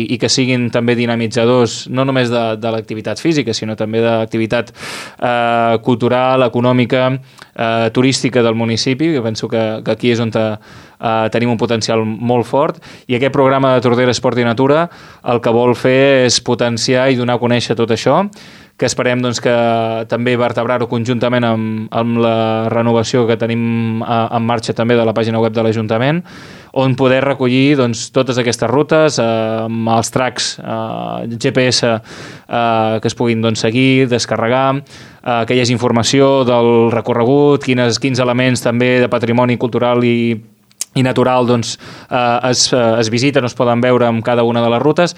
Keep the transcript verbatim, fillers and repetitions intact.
i que siguin també dinamitzadors no només de, de l'activitat física, sinó també de l'activitat eh, cultural, econòmica, eh, turística del municipi, que penso que, que aquí és on te, eh, tenim un potencial molt fort, i aquest programa de Tordera Esport i Natura el que vol fer és potenciar i donar a conèixer tot això, que esperem doncs, que també vertebrar-ho conjuntament amb, amb la renovació que tenim a, en marxa també de la pàgina web de l'Ajuntament, on poder recollir doncs, totes aquestes rutes, eh, amb els tracks eh, G P S eh, que es puguin doncs, seguir, descarregar, eh, que hi hagi informació del recorregut, quines, quins elements també de patrimoni cultural i i natural doncs, eh, es, es visiten o es poden veure amb cada una de les rutes.